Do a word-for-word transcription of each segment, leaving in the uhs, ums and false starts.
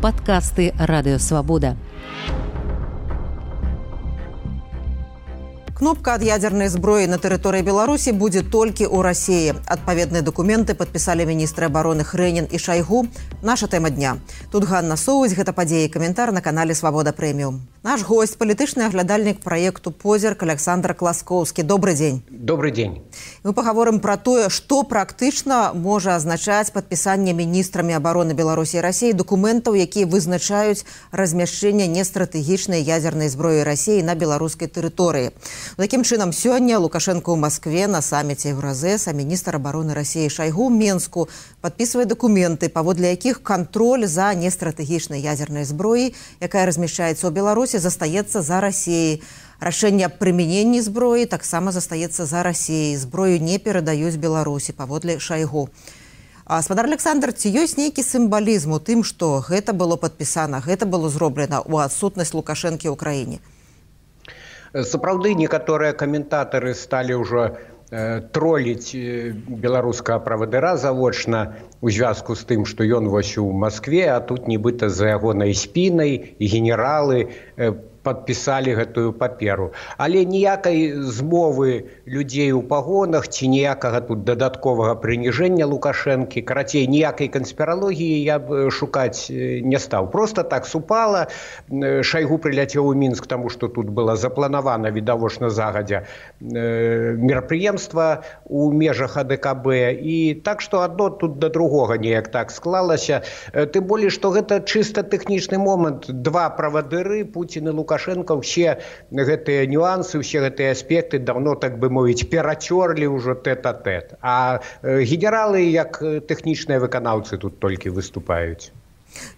Падкасты Радыёвабода. Кнопка ад ядзернай зброі на тэрыторыі Беларусі будзе толькі ў Расіі. Адпаведныя дакументы падпісалі міністры абароны Хрэнін і Шайгу. Наша тэма дня. Тут Ганна Соўць, гэта падзеі, каментар на канале Свабода Прэміум. Наш гость, палітычны аглядальнік праекту «Позірк» Александр Класкоўскі. Добрый дзень. Добрый дзень. Мы пагаворым пра тое, што практычна можа азначаць падпісанне міністрамі абароны Беларусі і Расіі дакументаў, якія вызначаюць размяшчэнне нестратэгічнай ядзернай зброі Расіі на беларускай тэрыторыі. Такім чынам, сёння Лукашенко ў Маскве на саміце Еўразэс, а міністр абароны Расіі Шайгу ў Менску падпісвае дакументы, паводле якіх кантроль за нестратэгічнай ядзернай зброі, якая размяшчаецца ў Беларусі, застаецца за Расіяй. Рашэнне аб прымяненні зброі таксама застаецца за Расіяй. Зброю не перадаюць Беларусі, паводле Шайгу. Спадар Александр, ці ёсць нейкі сімвалізм у тым, што гэта было падпісана, гэта было зроблена ў адсутнасць Лукашэнкі ў краіне? Сапраўды, некаторыя каментатары сталі ўжо э, троліць беларускага правадыра завочна у звязку з тым, што ён вось у Маскве, а тут нібыта за ягонай спінай і генералы э, падпісалі гэтую паперу. Але ніякай змовы людзей у пагонах ці ніякага тут дадатковага прыніжэння Лукашэнкі, карацей, ніякай канспіралогіі я б шукаць не стаў. Проста так супала. Шайгу прыляцеў у Мінск, таму што тут была запланавана відавочна загадзя мерапрыемства ў межах А Дэ Ка Бэ. І так што адно тут да другога неяк так склалася. Тым болей, што гэта чыста тэхнічны момант. Два правадыры, Пуцін і Лукашэнка, Лукашенко, все гэтыя нюансы, все гэтыя аспекты давно, так бы мовіць, перацёрлі ўжо тэт-а-тэт. А генералы, як тэхнічныя выканаўцы, тут толькі выступаюць.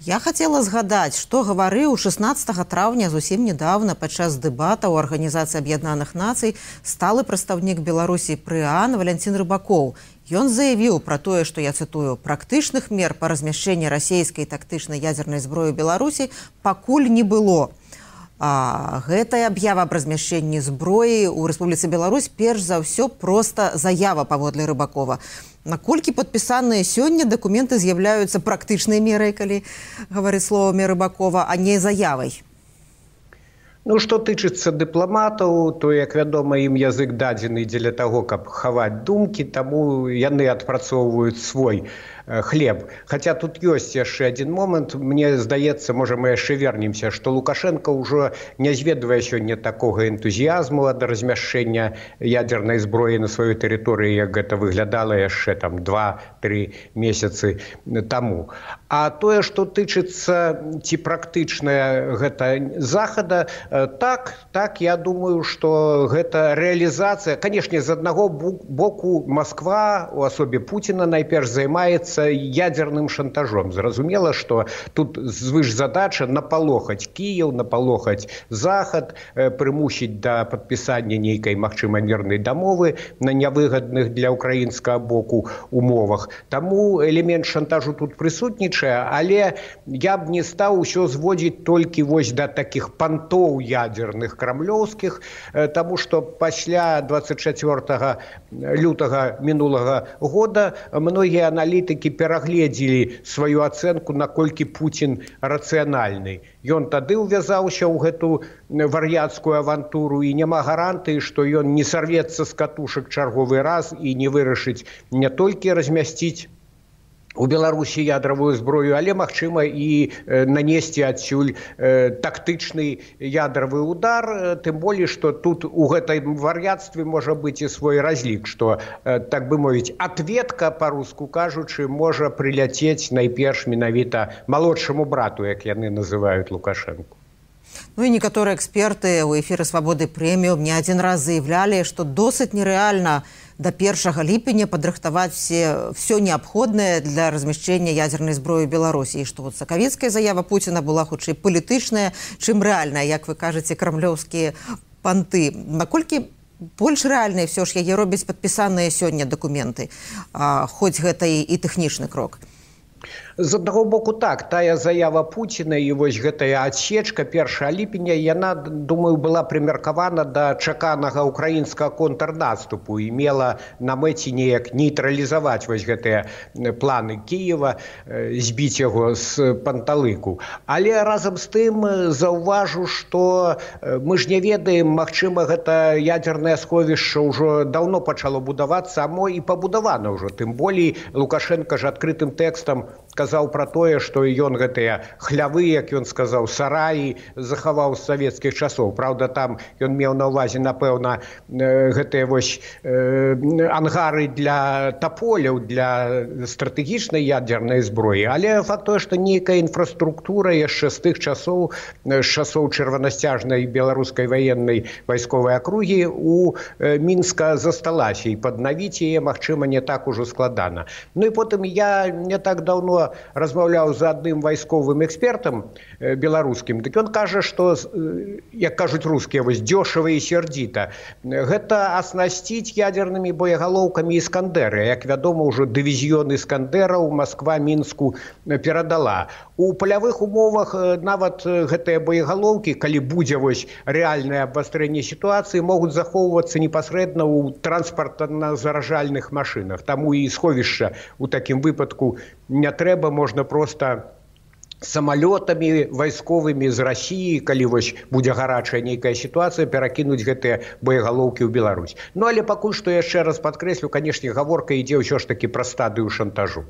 Я хацела згадаць, што гаварыў шаснаццатага траўня зусім недавно падчас дэбата ў Арганізацыі Аб'яднаных Нацый сталы прадстаўнік Беларусі пры ААН Валянцін Рыбакоў. Ён заявіў пра тое, што, я цытую, практычных мер па размяшчэнні расійскай тактычнай ядзернай зброі ў Беларусі пакуль не было. А гэтая аб'ява аб размяшчэнні зброі ў Рэспубліцы Беларусь перш за ўсё проста заява, паводле Рыбакова. Наколькі падпісаныя сёння дакументы з'яўляюцца практычнай мерай, калі гаварыць словамі Рыбакова, а не заявай? Ну, што тычыцца дыпламатаў, то, як вядома, ім язык дадзены дзеля таго, каб хаваць думкі, таму яны адпрацоўваюць свой хлеб. Хаця тут ёсць яшчэ адзін момант. Мне здаецца, можа, мы яшчэ вернемся, што Лукашенко ўжо не зведвае сёння такога энтузіязму ад размяшчэння ядзернай зброі на сваёй тэрыторыі, як гэта выглядала яшчэ там два-тры месяцы таму. А тое, што тычыцца ці практычная гэта захада, так, так, я думаю, што гэта рэалізацыя. Канешне, з аднаго боку Масква, у асобе Пуціна, найперш займаецца ядзерным шантажом. Зразумела, што тут звышзадача напалохаць Кіеў, напалохаць Захад, прымусіць да падпісання нейкай, магчыма, мірнай дамовы на нявыгадных для ўкраінскага боку умовах. Таму элемент шантажу тут прысутнічае, але я б не стаў усё зводзіць толькі вось да такіх пантоў ядзерных крамлёўскіх, таму што пасля дваццаць чацвёртага лютага мінулага года многія аналітыкі перагледзелі сваю ацэнку, наколькі Пуцін рацыянальны. Ён тады ўвязаўся ў гэту вар'яцкую авантуру, і няма гарантыі, што ён не сарвецца з катушак чарговы раз і не вырашыць не толькі размясціць у Беларусі ядравую зброю, але, магчыма, і нанесці адсюль тактычны ядравы удар, тым болей, што тут у гэтай вар'яцтве можа быць і свой разлік, што, так бы мовіць, адветка, па-руску кажучы, можа прыляцець найперш менавіта малодшаму брату, як яны называюць Лукашэнку. Ну і некаторыя эксперты ў эфіры Свабоды Прэміум не адзін раз заявлялі, што досыць нерэальна до першага ліпеня падрыхтаваць все, все неабходнае для размяшчэння ядзернай зброі ў Беларусі. І што вот сакавіцкая заява Пуціна была хутчэй палітычная, чым рэальная, як вы кажаце, крамлёўскія панты. Наколькі больш рэальныя все ж яе робяць падпісаныя сёння дакументы, а, хоць гэта і, і тэхнічны крок? З аднаго боку так, тая заява Пуціна і вось гэтая адсечка першага ліпеня, яна, думаю, была прымеркавана да чаканага украінскага контрнаступу і мела на мэце неяк нейтралізаваць вось гэтыя планы Кіева, збіць яго з панталыку. Але разам з тым заўважу, што мы ж не ведаем, магчыма, гэта ядзернае сховішча ўжо даўно пачало будавацца, а мо і пабудавана ўжо. Тым болей Лукашенко ж адкрытым тэкстам казаў пра тое, што ён гэтыя хлявы, як ён сказаў, сараі захаваў з савецкіх часоў. Праўда, там ён меў на ўвазе, напэўна, гэтыя вось ангары для таполяў, для стратэгічнай ядзернай зброі. Але факт тое, што нейкая інфраструктура яшчэ з тых часоў, з часоў чырванасцяжнай беларускай ваеннай вайсковай акругі у Мінска засталася, і паднавіць яе, магчыма, не так ужо складана. Ну і потым я не так даўно размаўляў з адным вайсковым экспертам беларускім, дык ён кажа, што, як кажуць рускія, вось дёшава і сердзіта, гэта аснасціць ядзернымі боегалоўкамі іскандэры. Як вядома, ўжо дывізіён іскандэраў Масква Мінску перадала. У палявых умовах нават гэтыя боегалоўкі, калі будзе вось рэальнае абвастрэнне сітуацыі, могуць захоўвацца непасрэдна ў транспартна-заражальных машынах. Таму і сховішча ў такім выпадку не трэба, можна проста самалётамі вайсковымі з Расіі, калі вось будзе гарачая нейкая сітуацыя, перакінуць гэтыя боегалоўкі ў Беларусь. Ну, але пакуль што яшчэ раз падкрэслю, канешне, гаворка ідзе ўсё ж такі пра стадыю шантажу.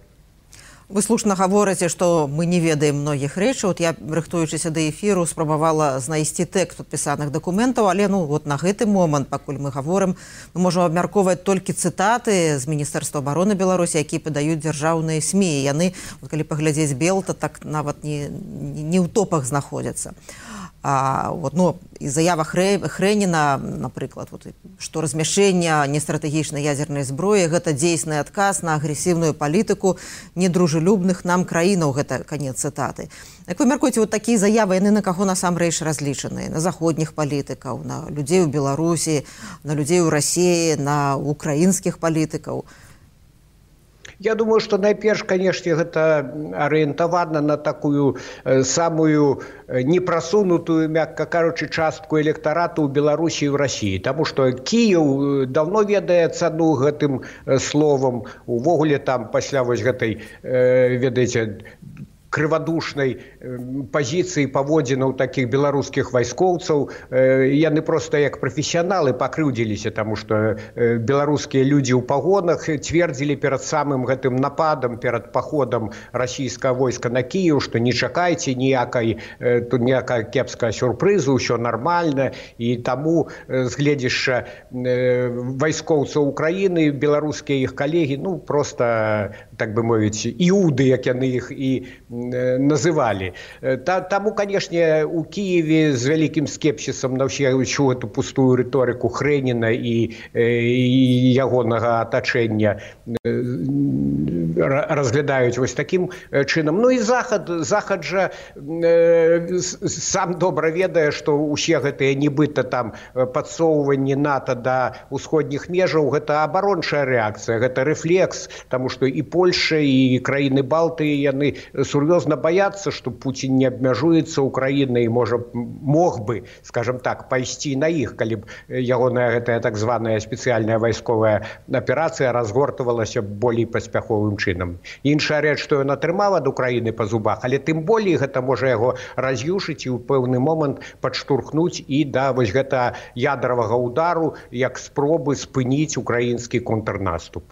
Вы слушна гаворыце, што мы не ведаем многіх рэчаў. Я, рыхтуючыся да эфіру, спрабавала знайсці тэкст падпісаных дакументаў, але ну, вот на гэты момант, пакуль мы гаворым, мы можам абмяркоўваць толькі цытаты з Міністэрства абароны Беларусі, якія падаюць дзяржаўныя СМІ. Яны, вот, калі паглядзець Белта, так нават не, не ў топах знаходзяцца. А, вот, ну, і заява Хрэ, Хрэніна, напрыклад, вот, што размяшчэнне нестратэгічнай ядзернай зброі – гэта дзейсны адказ на агрэсіўную палітыку недружелюбных нам краінаў, гэта канец цытаты. Як вы мяркуеце, вот такія заявы, яны на каго насамрэч разлічаныя? На заходніх палітыкаў, на людзей у Беларусі, на людзей у Расіі, на украінскіх палітыкаў? Я думаю, што найперш, канешне, гэта арыентавана на такую самую непрасунутую, мякка кажучы, частку электарату ў Беларусі і ў Расіі. Таму што Кіеў даўно ведае цану гэтым словам. Увогуле там пасля вось гэтай, ведаеце, крывадушнай пазіцыі паводзінаў такіх беларускіх вайскоўцаў. Яны проста як прафесіяналы пакрыўдзіліся, таму што беларускія людзі ў пагонах цвердзілі перад самым гэтым нападам, перад паходам расійскага войска на Кіеў, што не чакайце ніякай, тут ніякая кепская сюрпрызу, ўсё нармальна. І таму з гледзяшча вайскоўцаў Украіны, беларускія іх калегі, ну проста, так бы мовіць, іуды, як яны іх і называлі. Таму, канешне, у Кіеве з вялікім скепсісам на ўсю эту пустую рыторыку Хрэніна і, і ягонага атачэння разглядаюць вось такім чынам. Ну і Захад, Захад жа э, сам добра ведае, што ўсе гэтыя нібыта там падсоўванні НАТО да ўсходніх межаў, гэта абарончая рэакцыя, гэта рэфлекс, таму што і Польша, і краіны Балтыі, яны сур'ёзна баяцца, што Пуцін не абмяжуецца Украінай і можа, мог бы, скажем так, пайсці на іх, калі б ягоная гэтая так званая спецыяльная вайсковая аперацыя разгортвалася болей паспяховым чынам. Іншая рэч, што ён атрымаў ад Украіны па зубах, але тым болей гэта можа яго раз'юшыць і ў пэўны момант падштурхнуць і да вось гэта ядравага удару, як спробы спыніць украінскі контрнаступ.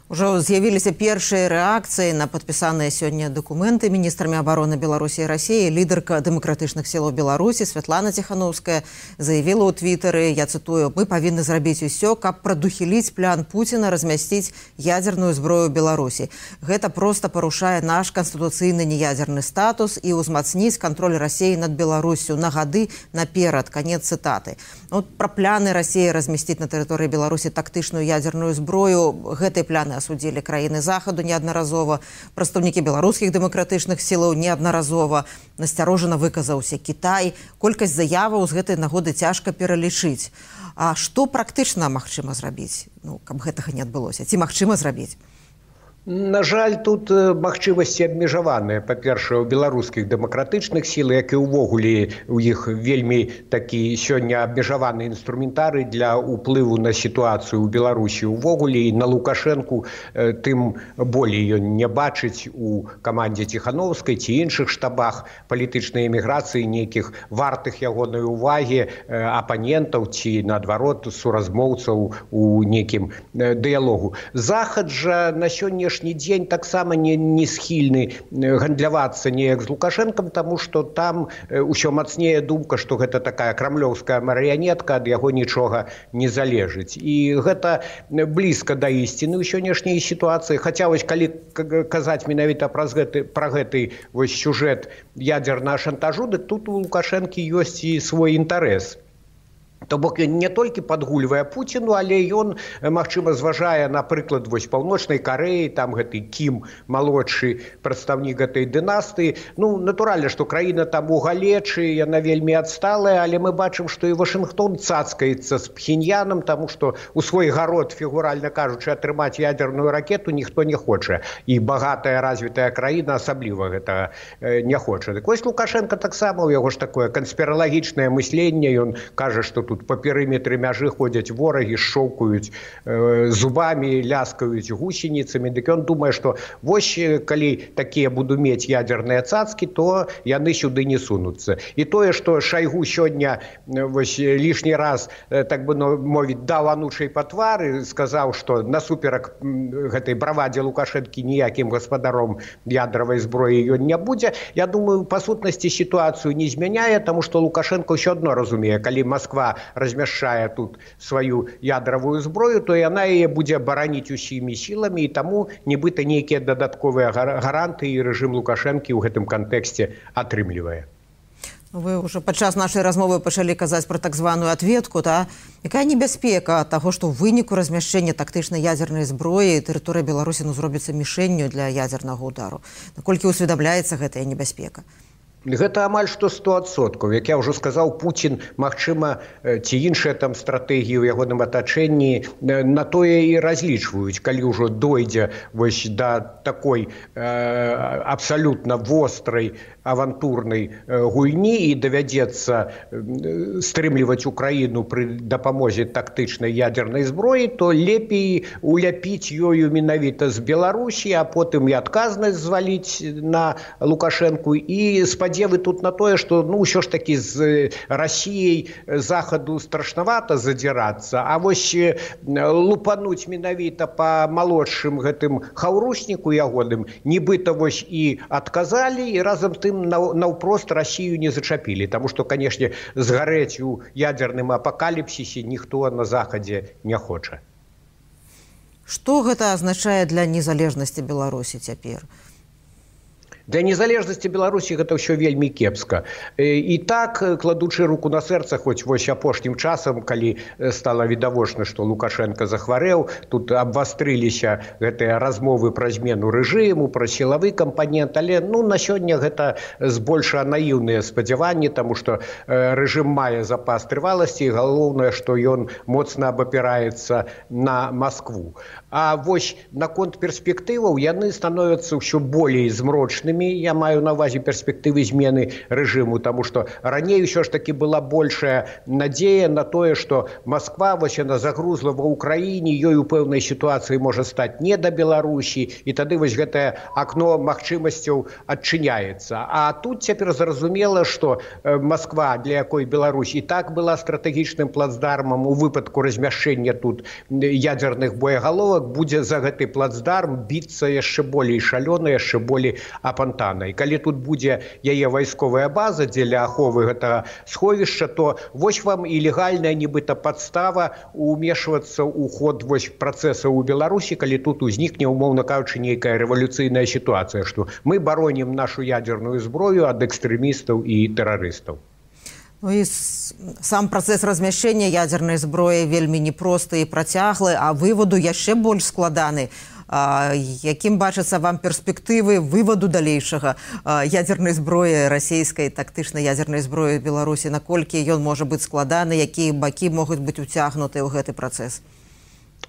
Ужо з'явіліся першыя рэакцыі на падпісаныя сёння дакументы міністрамі абароны Беларусі і Расіі. Лідарка дэмакратычных сілаў Беларусі Святлана Ціханаўская заявіла ў твітары, я цытую, «Мы павінны зрабіць усё, каб прадухіліць план Пуціна размясціць ядзерную зброю ў Беларусі. Гэта проста парушае наш канстытуцыйны неядзерны статус і ўзмацніць кантроль Расіі над Беларуссю на гады наперад». Канец цытаты. Вот пра пляны Расіі размясціць на тэрыторыі Беларусі тактычную ядзерную зброю, гэтай пляны асудзілі краіны Захаду неаднаразова, прадстаўнікі беларускіх дэмакратычных сілаў неаднаразова, насцярожана выказаўся Кітай. Колькасць заяваў з гэтай нагоды цяжка пералічыць. А што практычна магчыма зрабіць, ну, каб гэтага не адбылося? Ці магчыма зрабіць? На жаль, тут магчымасці абмежаваныя, па-першае, у беларускіх дэмакратычных сіл, як і ўвогуле у іх вельмі такі сёння абмежаваны інструментарый для ўплыву на сітуацыю ў Беларусі ўвогуле, і на Лукашэнку тым болей ён не бачыць у камандзе Ціхановскай ці іншых штабах палітычнай эміграцыі нейкіх вартых ягонай увагі апанентаў ці, наадварот, суразмоўцаў у нейкім дыялогу. Захад жа на сённяшні дзень таксама не, не схільны гандлявацца неяк з Лукашэнкам, таму што там ўсё мацнее думка, што гэта такая крамлёўская марыянетка, ад яго нічога не залежыць. І гэта блізка да ісціны ў сённяшняй сітуацыі. Хаця вось калі казаць менавіта праз гэты, пра гэты вось сюжэт ядзернага шантажу, дык тут у Лукашэнкі ёсць і свой інтарэс. То бок ён не толькі падгульвае Пуціну, але ён, магчыма, зважае, напрыклад, вось Паўночнай Карэі, там гэты Кім, малодшы прадстаўнік гэтай дынастыі. Ну, натуральна, што краіна там у галечы, яна вельмі адсталая, але мы бачым, што і Вашынгтон цацкаецца з Пхеньянам, таму што у свой гарод, фігуральна кажучы, атрымаць ядерную ракету ніхто не хоча. І багатая развітая краіна асабліва гэтага не хоча. Дык вось Лукашенко таксама, у яго ж такое канспіралагічнае мысленне, ён кажа, што тут па перыметры мяжы ходзяць ворагі, шчоўкаюць э, зубамі, ляскаюць гусеніцамі. Дык ён думае, што вось калі такія буду мець ядерныя цацкі, то яны сюды не сунуцца. І тое, што Шайгу сёння вось лішні раз, э, так бы мовіць, даў анучай па твары, сказаў, што насуперак гэтай бравадзе Лукашэнкі ніякім гаспадаром ядравай зброі ён не будзе. Я думаю, па сутнасці сітуацыю не змяняе, таму што Лукашенко ўсё адно разумее, калі Масква размяшчае тут сваю ядравую зброю, то яна яе будзе бараніць усімі сіламі, і таму нібыта нейкія дадатковыя гаранты і рэжым Лукашэнкі ў гэтым кантэксце атрымлівае. Вы ўжо падчас нашай размовы пачалі казаць пра так званую адветку, та? Якая небяспека ад таго, што ў выніку размяшчэння тактычнай ядзернай зброі тэрыторыя Беларусі ну, зробіцца мішэнню для ядзернага ўдару? Наколькі ўсведамляецца гэтая небяспека? Гэта амаль што сто адсоткаў. Як я ўжо сказаў, Пуцін, магчыма, ці іншыя там стратэгіі ў ягоным атачэнні на тое і разлічваюць, калі ўжо дойдзе вось да такой э, абсалютна вострай авантурнай гульні і давядзецца стрымліваць Украіну пры дапамозе тактычнай ядернай зброі, то лепей уляпіць ёю менавіта з Беларусі, а потым і адказнасць зваліць на Лукашэнку і спадзевы тут на тое, што ну ўсё ж такі з Расіяй захаду страшнавата задзірацца, а вось лупануць менавіта па малодшым гэтым хаўрусніку ягоным нібыта вось і адказалі, і разам тым наўпрост Расію не зачапілі, таму што, канешне, згарэць у ядзерным апакаліпсісе ніхто на захадзе не хоча. Што гэта азначае для незалежнасці Беларусі цяпер? Для незалежнасці Беларусі гэта ўсё вельмі кепска. І так, кладучы руку на сэрца, хоць вось апошнім часам, калі стала відавочна, што Лукашенко захварэў, тут абвастрыліся гэтыя размовы пра змену рэжыму, пра сілавы кампанент, але ну, на сёння гэта збольшага наіўныя спадзяванні, таму што рэжым мае запас трываласці, і галоўнае, што ён моцна абапіраецца на Маскву. А вось наконт перспектываў яны становяцца ўсё болей змрочнымі. Я маю на ўвазе перспектывы змены рэжыму, таму што раней ўсё ж такі была большая надзея на тое, што Масква вось яна загрузла ва ўкраіне, ёй у пэўнай сітуацыі можа стаць не да Беларусі, і тады вось гэтае акно магчымасцяў адчыняецца. А тут цяпер зразумела, што Масква, для якой Беларусь і так была стратэгічным плацдармам у выпадку размяшчэння тут ядзерных боегаловак, будзе за гэты плацдарм біцца яшчэ болей шалёна, яшчэ болей апантана. І калі тут будзе яе вайсковая база дзеля аховы гэтага сховішча, то вось вам і легальная нібыта падстава умешвацца ў ход вось працэсаў у Беларусі, калі тут узнікне, умоўна кажучы, нейкая рэвалюцыйная сітуацыя, што мы баронім нашу ядзерную зброю ад экстрэмістаў і тэрарыстаў. Ну і сам працэс размяшчэння ядзернай зброі вельмі непросты і працяглы, а вываду яшчэ больш складаны. А, якім бачацца вам перспектывы вываду далейшага ядзернай зброі, расійскай тактычнай ядзернай зброі Беларусі, наколькі ён можа быць складаны, якія бакі могуць быць уцягнутыя ў гэты працэс?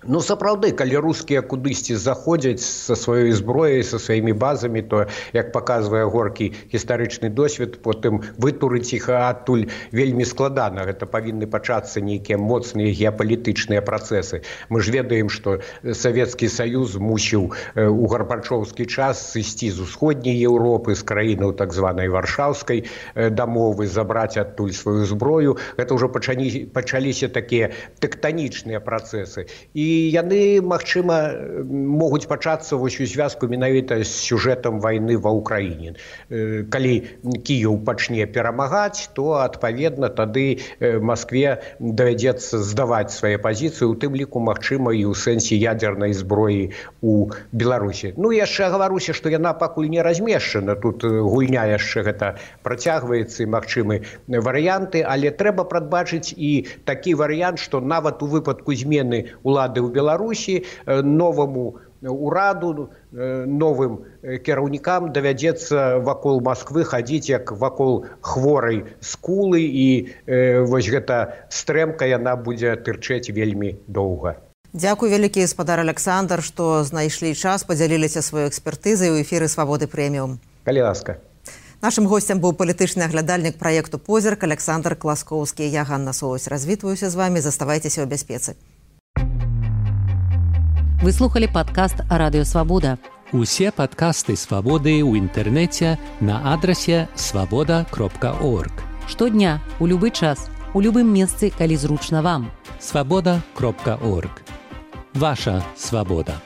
Ну, сапраўды, калі рускія кудысьці заходзяць са сваёй зброяй, са сваімі базамі, то, як паказвае горкі гістарычны досвед, потым вытурыць іх адтуль вельмі складана. Гэта павінны пачацца нейкія моцныя геапалітычныя працэсы. Мы ж ведаем, што Савецкі Саюз мусіў у гарбачоўскі час сысці з усходняй Еўропы, з краінаў так званай варшаўскай дамовы, забраць адтуль сваю зброю. Гэта ўжо пачалі, пачаліся такія тэктанічныя працэсы. І І яны, магчыма, могуць пачацца вось у звязку менавіта з сюжэтам вайны ва ўкраіне. Калі Кіеў пачне перамагаць, то, адпаведна, тады Маскве давядзецца здаваць свае пазіцыі, у тым ліку, магчыма, і ў сэнсе ядзернай зброі у Беларусі. Ну, яшчэ гаваруся, што яна пакуль не размешчана. Тут гульня яшчэ гэта працягваецца, і магчымы варыянты, але трэба прадбачыць і такі варыянт, што нават у выпадку змены улады ў Беларусі новаму ураду, новым кіраўнікам давядзецца вакол Масквы хадзіць як вакол хворай скулы, і э, вось гэта стрэмка яна будзе тырчэць вельмі доўга. Дзякуй вялікі, гаспадар Александр, што знайшлі час, падзяліліся сваёй экспертызай у эфіры Свабоды Прэміум. Калі ласка. Нашым гостем быў палітычны аглядальнік праекту «Позірк» Александр Класкоўскі. Я Ганна Соўсь. Развітваюся з вамі. Заставайцеся ў бяспецы. Вы слухали падкаст «Радыё Свабода». Усе падкасты «Свабоды» ў інтэрнэце на адрасе свабода кропка орг. Штодня, у любы час, у любым месцы, калі зручна вам. свабода кропка орг. Ваша свабода.